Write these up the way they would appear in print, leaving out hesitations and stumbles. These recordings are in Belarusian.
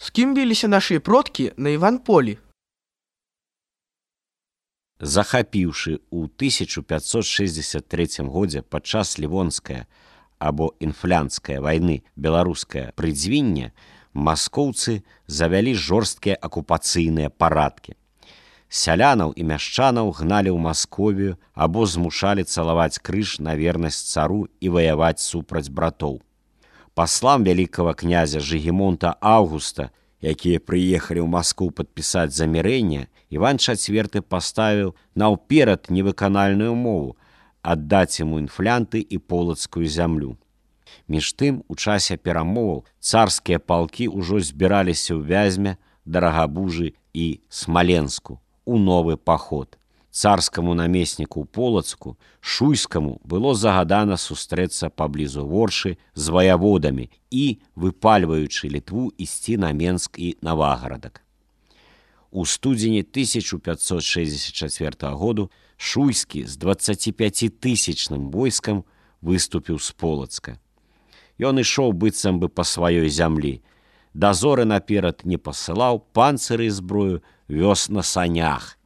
З кім біліся нашыя продкі на Іванполі? Захапіўшы ў 1563 годзе падчас Лівонскае або інфлянскае вайны беларускае прыдзвінне, маскоўцы завялі жорсткія акупацыйныя парадкі. Сялянаў і мяшчанаў гналі ў Масковію або змушалі цалаваць крыж на вернасць цару і ваяваць супраць братоў. Паслам вялікага князя Жыгімонта Аўгуста, якія прыехалі ў Маскву падпісаць замірэнне, Іван IV паставіў наўперад невыканальную умову аддаць яму інфлянты і полацкую зямлю. Між тым, у часе перамоваў царскія палкі ўжо збіраліся ў Вязьме, Дарагабужы і Смаленску у новы паход. Царскаму намесніку ў Полацку, Шуйскаму, было загадана сустрэцца паблізу Воршы з ваяводамі і, выпальваючы Літву, ісці на Менск і Навагарадак. У студзені 1564 году Шуйскі з 25-тысячным войскам выступіў з Полацка. Ён ішоў быццам бы па сваёй зямлі. Дазоры наперад не пасылаў, панцыры і зброю вёз на санях.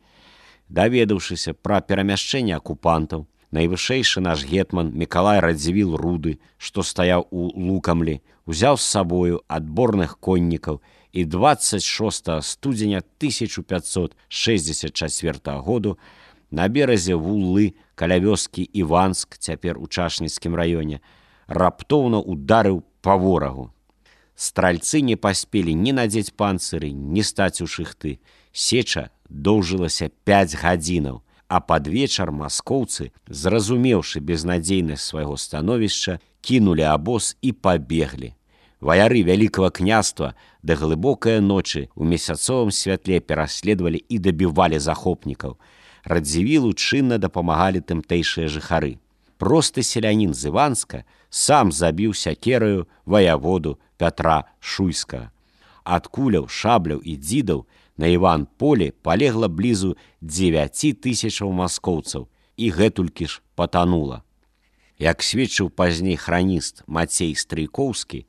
Даведаўшыся пра перамяшчэнне акупантаў, найвышэйшы наш гетман Мікалай Радзівіл Руды, што стаяў у Лукамлі, узяў з сабою адборных коннікаў і 26 студзеня 1564 году на беразе Вуллы каля вёскі Іванск, цяпер у Чашніцкім раёне, раптоўна ударыў па ворагу. Стральцы не паспелі ні надзець панцыры, ні стаць у шыхты. Сеча доўжылася 5 гадзінаў, а пад вечар маскоўцы, зразумеўшы безнадзейнасць свайго становішча, кінулі абоз і пабеглі. Ваяры вялікага княства да глыбокае ночы ў месяцовым святле пераследавалі і дабівалі захопнікаў. Радзівілу чынна дапамагалі тымтэйшыя жыхары. Просты селянін з Іванска сам забіў сякераю ваяводу Пятра Шуйскага. Ад куляў, шабляў і дзідаў на Іванполі палегла блізу 9000 маскоўцаў, і гэтулькі ж патанула. Як сведчыў пазней храніст Мацей Стрыйкоўскі,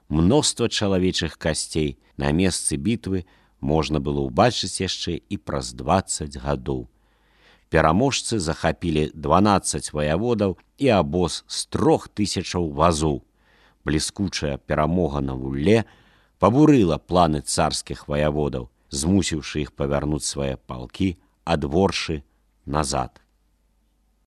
мноства чалавечых касцей на месцы бітвы можна было ўбачыць яшчэ і праз 20 гадоў. Пераможцы захапілі 12 ваяводаў і абоз з 3000 вазоў. Бліскучая перамога на Вулле пабурыла планы царскіх ваяводаў, змусіўшы іх павярнуць свае палкі ад Воршы назад.